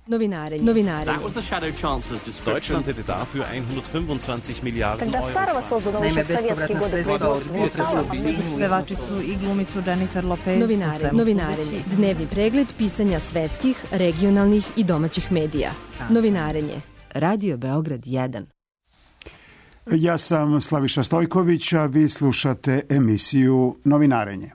Novinarenje. Deutschland hätte dafür 125 Milijarden Euro. Naime, bespovratna sredstva od pevačicu i glumicu Jennifer Lopez. Novinarenje. Dnevni pregled pisanja svetskih, regionalnih i domaćih medija. Novinarenje. Radio Beograd 1. Ja sam Slaviša Stojković, a vi slušate emisiju Novinarenje.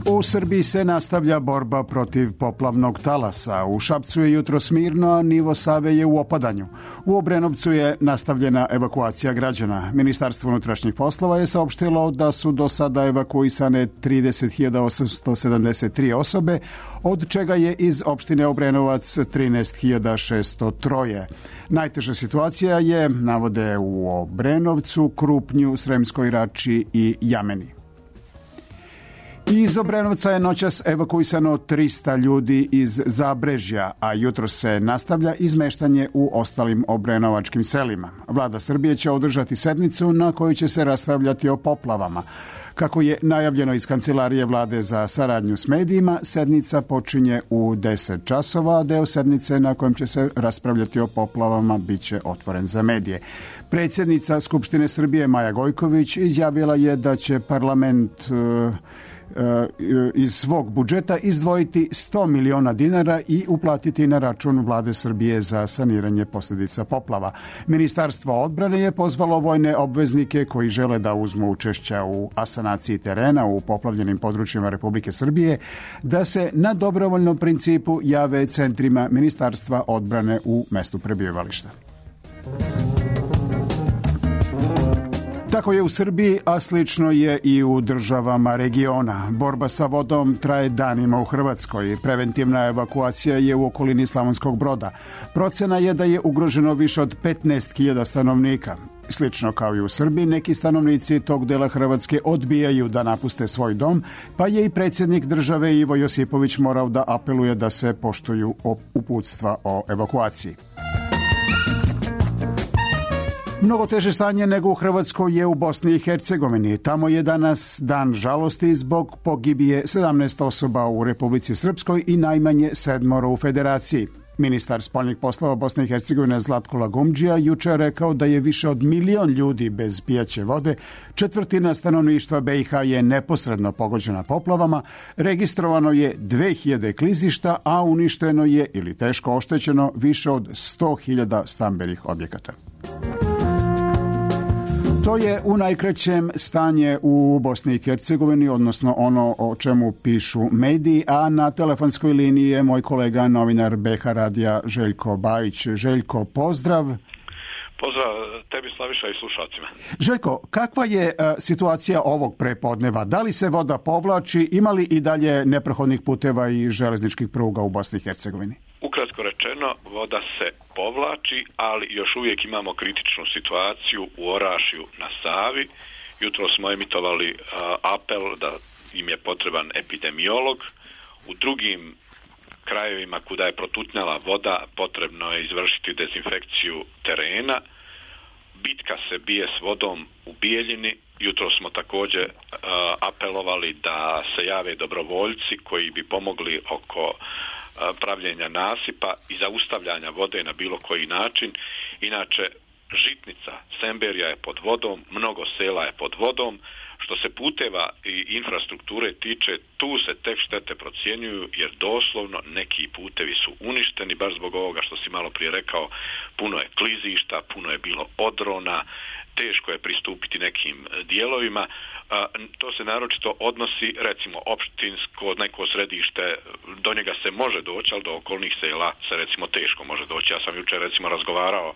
U Srbiji se nastavlja borba protiv poplavnog talasa. U Šapcu je jutros mirno, a nivo Save je u opadanju. U Obrenovcu je nastavljena evakuacija građana. Ministarstvo unutrašnjih poslova je saopštilo da su do sada evakuisane 30.873 osobe, od čega je iz opštine Obrenovac 13.603. Najteža situacija je, navode, u Obrenovcu, Krupnju, Sremskoj Rači i Jameni. Iz Obrenovca je noćas evakuisano 300 ljudi iz Zabrežja, a jutro se nastavlja izmeštanje u ostalim obrenovačkim selima. Vlada Srbije će održati sednicu na kojoj će se raspravljati o poplavama. Kako je najavljeno iz Kancelarije vlade za saradnju s medijima, sednica počinje u 10 časova, a deo sednice na kojem će se raspravljati o poplavama biće otvoren za medije. Predsjednica Skupštine Srbije Maja Gojković izjavila je da će parlament iz svog budžeta izdvojiti 100 miliona dinara i uplatiti na račun vlade Srbije za saniranje posljedica poplava. Ministarstvo odbrane je pozvalo vojne obveznike koji žele da uzmu učešća u asanaciji terena u poplavljenim područjima Republike Srbije da se na dobrovoljnom principu jave centrima Ministarstva odbrane u mestu prebivališta. Tako je u Srbiji, a slično je i u državama regiona. Borba sa vodom traje danima u Hrvatskoj. Preventivna evakuacija je u okolini Slavonskog Broda. Procena je da je ugroženo više od 15.000 stanovnika. Slično kao i u Srbiji, neki stanovnici tog dela Hrvatske odbijaju da napuste svoj dom, pa je i predsjednik države Ivo Josipović morao da apeluje da se poštuju uputstva o evakuaciji. Mnogo teže stanje nego u Hrvatskoj je u Bosni i Hercegovini. Tamo je danas dan žalosti zbog pogibije 17 osoba u Republici Srpskoj i najmanje 7 u Federaciji. Ministar spoljnih poslova Bosne i Hercegovine Zlatko Lagumdžija juče rekao da je više od 1 milion ljudi bez pijaće vode, 1/4 stanovništva BiH je neposredno pogođena poplavama, registrovano je 2000 klizišta, a uništeno je ili teško oštećeno više od 100.000 stambenih objekata. To je u najkraćem stanje u Bosni i Hercegovini, odnosno ono o čemu pišu mediji, a na telefonskoj liniji je moj kolega, novinar BH radija Željko Bajić. Željko, pozdrav. Pozdrav tebi, Slaviša, i slušalcima. Željko, kakva je situacija ovog prepodneva? Da li se voda povlači, ima li i dalje neprohodnih puteva i železničkih pruga u Bosni i Hercegovini? Ukratko rečeno, voda se povlači, ali još uvijek imamo kritičnu situaciju u Orašju na Savi. Jutro smo emitovali apel da im je potreban epidemiolog. U drugim krajevima kuda je protutnjala voda potrebno je izvršiti dezinfekciju terena. Bitka se bije s vodom u Bijeljini. Jutro smo također apelovali da se jave dobrovoljci koji bi pomogli oko pravljenja nasipa i zaustavljanja vode na bilo koji način. Inače, Žitnica, Semberija je pod vodom, mnogo sela je pod vodom. Što se puteva i infrastrukture tiče, tu se tek štete procjenjuju, jer doslovno neki putevi su uništeni, baš zbog ovoga što si malo prije rekao, puno je klizišta, puno je bilo odrona, teško je pristupiti nekim dijelovima. To se naročito odnosi, recimo, opštinsko, neko središte, do njega se može doći, ali do okolnih sela se recimo teško može doći. Ja sam jučer recimo razgovarao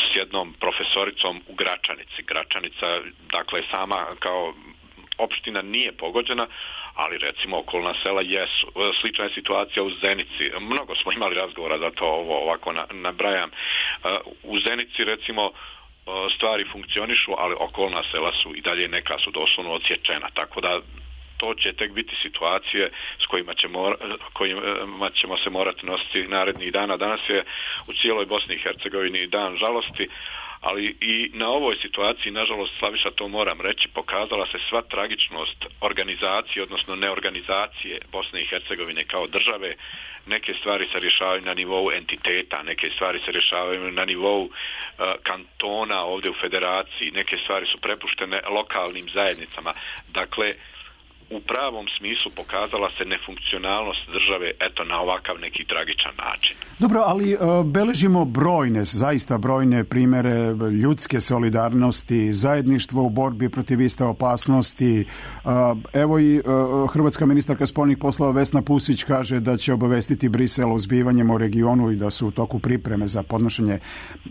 s jednom profesoricom u Gračanici. Gračanica, dakle, sama kao opština nije pogođena, ali recimo okolna sela jesu. Slična je situacija u Zenici. Mnogo smo imali razgovora, zato ovo ovako nabrajam. U Zenici recimo stvari funkcionišu, ali okolna sela su i dalje, neka su doslovno odsječena, tako da to će tek biti situacije s kojima ćemo se morati nositi narednih dana. Danas je u cijeloj Bosni i Hercegovini dan žalosti, ali i na ovoj situaciji, nažalost, Slaviša, to moram reći, pokazala se sva tragičnost organizacije, odnosno neorganizacije Bosne i Hercegovine kao države. Neke stvari se rješavaju na nivou entiteta, neke stvari se rješavaju na nivou kantona ovdje u federaciji, neke stvari su prepuštene lokalnim zajednicama. Dakle, u pravom smislu pokazala se nefunkcionalnost države, eto, na ovakav neki tragičan način. Dobro, ali beležimo brojne, zaista brojne primjere ljudske solidarnosti, zajedništvo u borbi protiv iste opasnosti. Evo i hrvatska ministarka spoljnih poslova Vesna Pusić kaže da će obavestiti Brisel o zbivanjima u regionu i da su u toku pripreme za podnošenje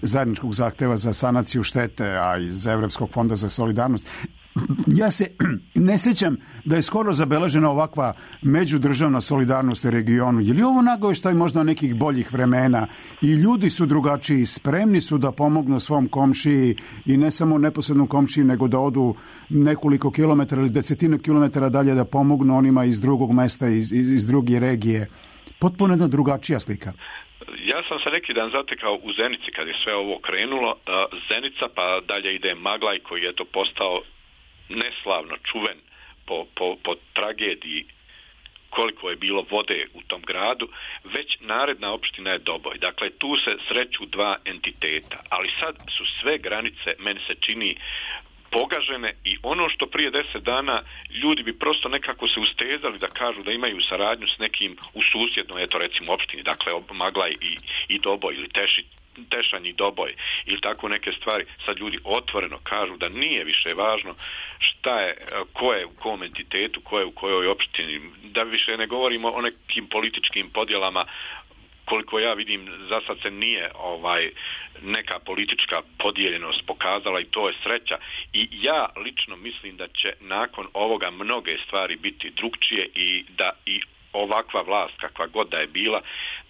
zajedničkog zahteva za sanaciju štete, a iz Evropskog fonda za solidarnost. Ja se ne sjećam da je skoro zabeležena ovakva međudržavna solidarnost u regionu. Je li ovo nagovještaj možda nekih boljih vremena i ljudi su drugačiji, spremni su da pomognu svom komšiji i ne samo neposrednom komšiji, nego da odu nekoliko kilometara ili desetine kilometara dalje da pomognu onima iz drugog mesta, iz druge regije. Potpuno jedna drugačija slika. Ja sam se neki dan zatekao u Zenici kad je sve ovo krenulo. Zenica, pa dalje ide Maglaj koji je to postao neslavno čuven po tragediji koliko je bilo vode u tom gradu, već naredna opština je Doboj. Dakle, tu se sreću dva entiteta, ali sad su sve granice, meni se čini, pogažene i ono što prije 10 dana ljudi bi prosto nekako se ustezali da kažu da imaju saradnju s nekim u susjednoj, eto recimo opštini, dakle Maglaj i Doboj ili Tešanj i Doboj ili tako neke stvari, sad ljudi otvoreno kažu da nije više važno šta je, ko je u kom entitetu, ko je u kojoj opštini, da više ne govorimo o nekim političkim podjelama. Koliko ja vidim, za sad se nije neka politička podijeljenost pokazala i to je sreća. I ja lično mislim da će nakon ovoga mnoge stvari biti drugčije i da i ovakva vlast, kakva god da je bila,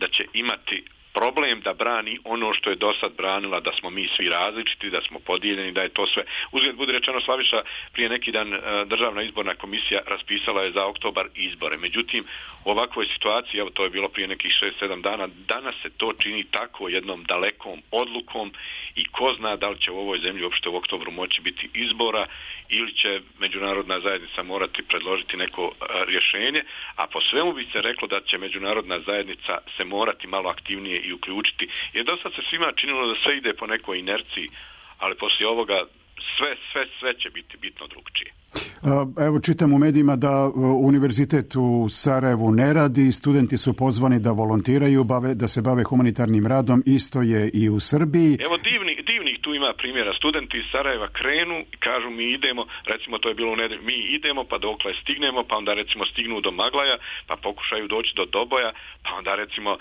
da će imati problem da brani ono što je do sad branila, da smo mi svi različiti, da smo podijeljeni, da je to sve. Uzgled budi rečeno, Slaviša, prije neki dan Državna izborna komisija raspisala je za oktobar izbore. Međutim, u ovakvoj situaciji, evo to je bilo prije nekih 6-7 dana, danas se to čini tako jednom dalekom odlukom i ko zna da li će u ovoj zemlji uopšte u oktobru moći biti izbora ili će međunarodna zajednica morati predložiti neko rješenje, a po svemu bi se reklo da će međunarodna zajednica se morati malo aktivnije i uključiti. Jer do sad se svima činilo da sve ide po nekoj inerciji, ali poslije ovoga sve će biti bitno drugčije. Evo čitam u medijima da univerzitet u Sarajevu ne radi, studenti su pozvani da volontiraju, da se bave humanitarnim radom, isto je i u Srbiji. Evo divnih tu ima primjera, studenti iz Sarajeva krenu i kažu mi idemo, recimo to je bilo u nedelju, mi idemo pa dokle stignemo, pa onda recimo stignu do Maglaja, pa pokušaju doći do Doboja, pa onda recimo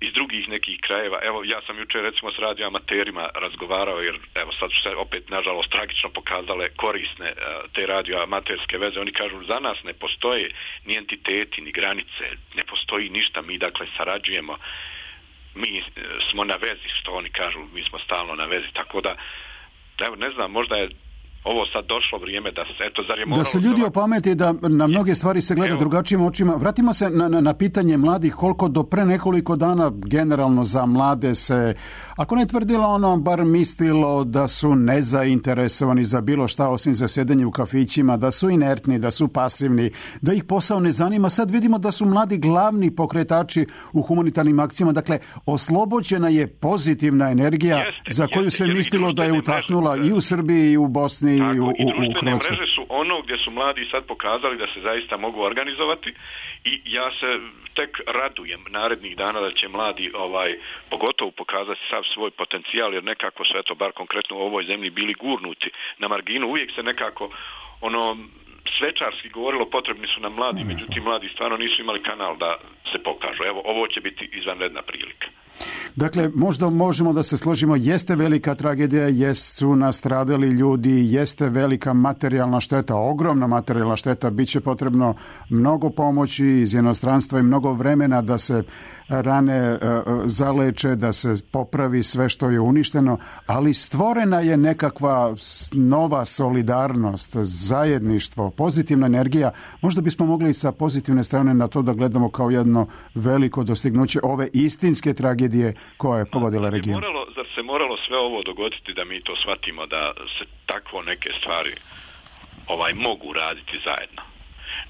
iz drugih nekih krajeva. Evo, ja sam jučer recimo s radioamaterima razgovarao, jer evo sad su se opet nažalost tragično pokazale korisne te radioamaterske veze. Oni kažu za nas ne postoje ni entiteti, ni granice, ne postoji ništa, mi dakle sarađujemo, mi smo na vezi, što oni kažu, mi smo stalno na vezi, tako da evo ne znam, možda je ovo sad došlo vrijeme da se, eto, zar je moralo... Da se ljudi opameti da na mnoge stvari se gleda drugačijim očima. Vratimo se na pitanje mladih, koliko do pre nekoliko dana generalno za mlade se, ako ne tvrdilo ono, bar mislilo da su nezainteresovani za bilo šta osim za sjedenje u kafićima, da su inertni, da su pasivni, da ih posao ne zanima. Sad vidimo da su mladi glavni pokretači u humanitarnim akcijama. Dakle, oslobođena je pozitivna energija za koju se mislilo da je utahnula i u Srbiji i u Bosni. Tako, i društvene mreže su ono gdje su mladi sad pokazali da se zaista mogu organizovati i ja se tek radujem narednih dana da će mladi pogotovo pokazati sav svoj potencijal, jer nekako su, eto, bar konkretno u ovoj zemlji bili gurnuti na marginu. Uvijek se nekako svečarski govorilo potrebni su nam mladi, međutim mladi stvarno nisu imali kanal da se pokažu. Evo, ovo će biti izvanredna prilika. Dakle, možda možemo da se složimo, jeste velika tragedija, jesu nastradali ljudi, jeste velika materijalna šteta, ogromna materijalna šteta, bit će potrebno mnogo pomoći iz inostranstva i mnogo vremena da se rane zaleče, da se popravi sve što je uništeno, ali stvorena je nekakva nova solidarnost, zajedništvo, pozitivna energija. Možda bismo mogli sa pozitivne strane na to da gledamo kao jedno veliko dostignuće ove istinske tragedije koja je pogodila region. Zar se moralo sve ovo dogoditi da mi to shvatimo, da se takvo neke stvari mogu raditi zajedno?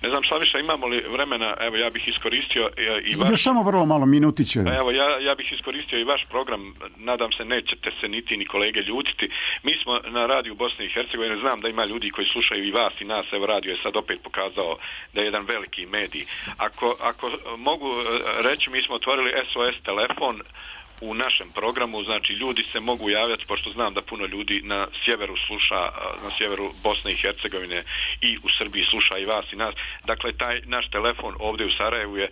Ne znam, Slaviša, imamo li vremena? Evo, ja bih iskoristio i vaš... Još samo vrlo malo, minutiće. Evo, ja bih iskoristio i vaš program. Nadam se, nećete se niti ni kolege ljutiti. Mi smo na radiju Bosne i Hercegovine. Znam da ima ljudi koji slušaju i vas i nas. Evo, radio je sad opet pokazao da je jedan veliki medij. Ako mogu reći, mi smo otvorili SOS telefon u našem programu, znači ljudi se mogu javljati, pošto znam da puno ljudi na sjeveru sluša, na sjeveru Bosne i Hercegovine i u Srbiji sluša i vas i nas. Dakle, taj naš telefon ovdje u Sarajevu je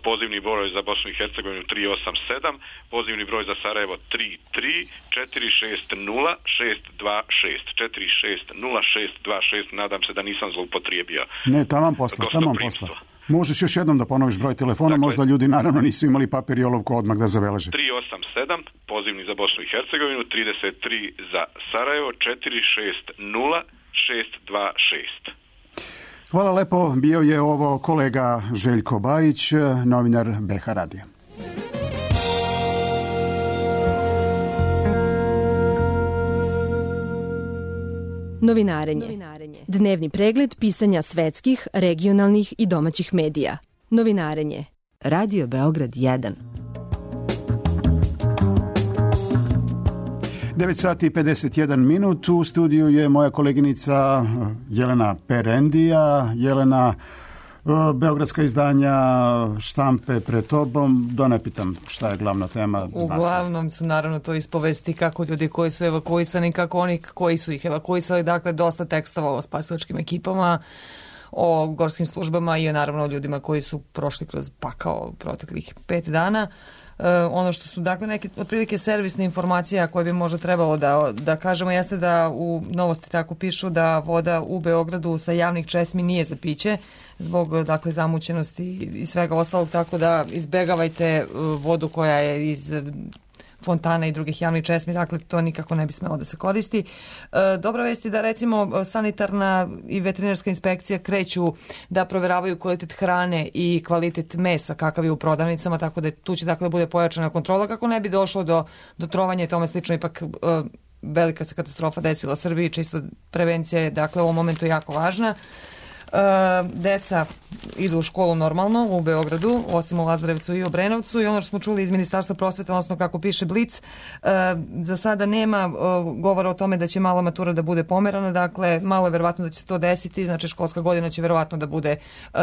pozivni broj za Bosnu i Hercegovinu 387, pozivni broj za Sarajevo 33 460 626 460 626. Nadam se da nisam zloupotrijebio. Ne, taman posla. Možeš još jednom da ponoviš broj telefona, dakle, možda ljudi naravno nisu imali papir i olovku odmah da zabeleže. 387, pozivni za Bosnu i Hercegovinu, 33 za Sarajevo, 460 626. Hvala lepo, bio je ovo kolega Željko Bajić, novinar BH radija. Novinarenje. Dnevni pregled pisanja svetskih, regionalnih i domaćih medija. Novinarenje. Radio Beograd 1. 9 sati i 51 minut. U studiju je moja koleginica Jelena Perendija. Jelena, beogradska izdanja štampe pred tobom. Da ne pitam šta je glavna tema. Uglavnom su naravno to ispovesti kako ljudi koji su evakuisani, kako oni koji su ih evakuisali. Dakle, dosta tekstova o spasilačkim ekipama, o gorskim službama i naravno o ljudima koji su prošli kroz pakao proteklih 5 dana. Ono što su dakle neke otprilike servisne informacije koje bi možda trebalo da kažemo jeste da u Novosti tako pišu da voda u Beogradu sa javnih česmi nije za piće zbog dakle zamućenosti i svega ostalog, tako da izbegavajte vodu koja je iz fontana i drugih javnih česmi, dakle to nikako ne bi smelo da se koristi. Dobra vest je da recimo sanitarna i veterinarska inspekcija kreću da proveravaju kvalitet hrane i kvalitet mesa kakav je u prodavnicama, tako da tu će dakle bude pojačana kontrola kako ne bi došlo do trovanja i tome slično. Ipak velika se katastrofa desila u Srbiji, čisto prevencija je dakle u ovom momentu jako važna. Deca idu u školu normalno u Beogradu, osim u Lazarevcu i Obrenovcu, i ono što smo čuli iz Ministarstva prosvete, odnosno kako piše Blic, za sada nema govora o tome da će mala matura da bude pomerana, dakle malo je verovatno da će se to desiti, znači školska godina će verovatno da bude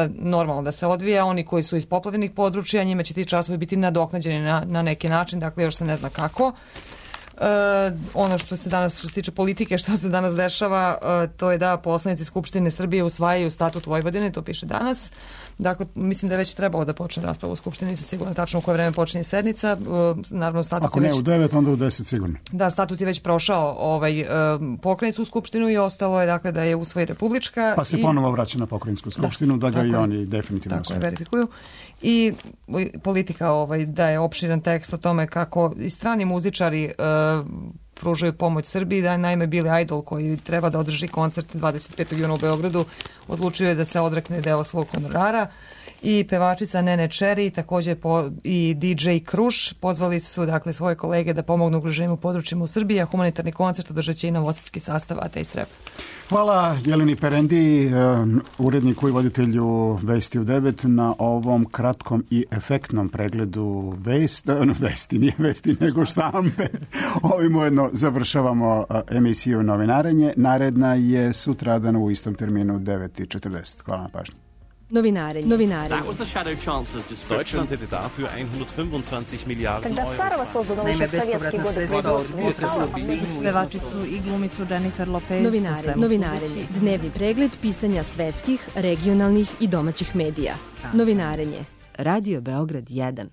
normalno da se odvija. Oni koji su iz poplavljenih područja, njima će ti časovi biti nadoknađeni na neki način, dakle još se ne zna kako. Ono što se tiče politike, što se danas dešava, to je da poslanici Skupštine Srbije usvajaju statut Vojvodine, to piše danas. Dakle, mislim da je već trebalo da počne rasprava u Skupštini, nisam sigurno tačno u koje vreme počinje sednica. Naravno, statut ako ne u 9, onda u 10 sigurno. Da, statut je već prošao pokrajinsku skupštinu i ostalo je dakle da je usvoji republička. Pa se ponovo vraća na pokrajinsku skupštinu, da ga i oni definitivno tako verifikuju. I politika daje opširan tekst o tome kako i strani muzičari pružaju pomoć Srbiji, da je naime Billy Idol koji treba da održi koncert 25. juna u Beogradu odlučio je da se odrekne dela svog honorara, i pevačica Nene Cherry također i DJ Kruš pozvali su dakle svoje kolege da pomognu ugroženim u područjima u Srbiji, a humanitarni koncert održat će i novosadski sastav Ateist Rap. Hvala Jeleni Perendi, uredniku i voditelju Vesti u 9 na ovom kratkom i efektnom pregledu vesti nego štampe. Ovim ujedno završavamo emisiju Novinarenje. Naredna je sutradan u istom terminu 9:40. Hvala na pažnju. Novinarenje. That was the Shadow Chancellor's description. Deutschland hätte dafür 125 Milliarden Euro. Naime, bespovratna sredstva od pevačicu i glumicu Jennifer Lopez. Novinarenje. Dnevni pregled pisanja svetskih, regionalnih i domaćih medija. Novinarenje. Radio Beograd 1.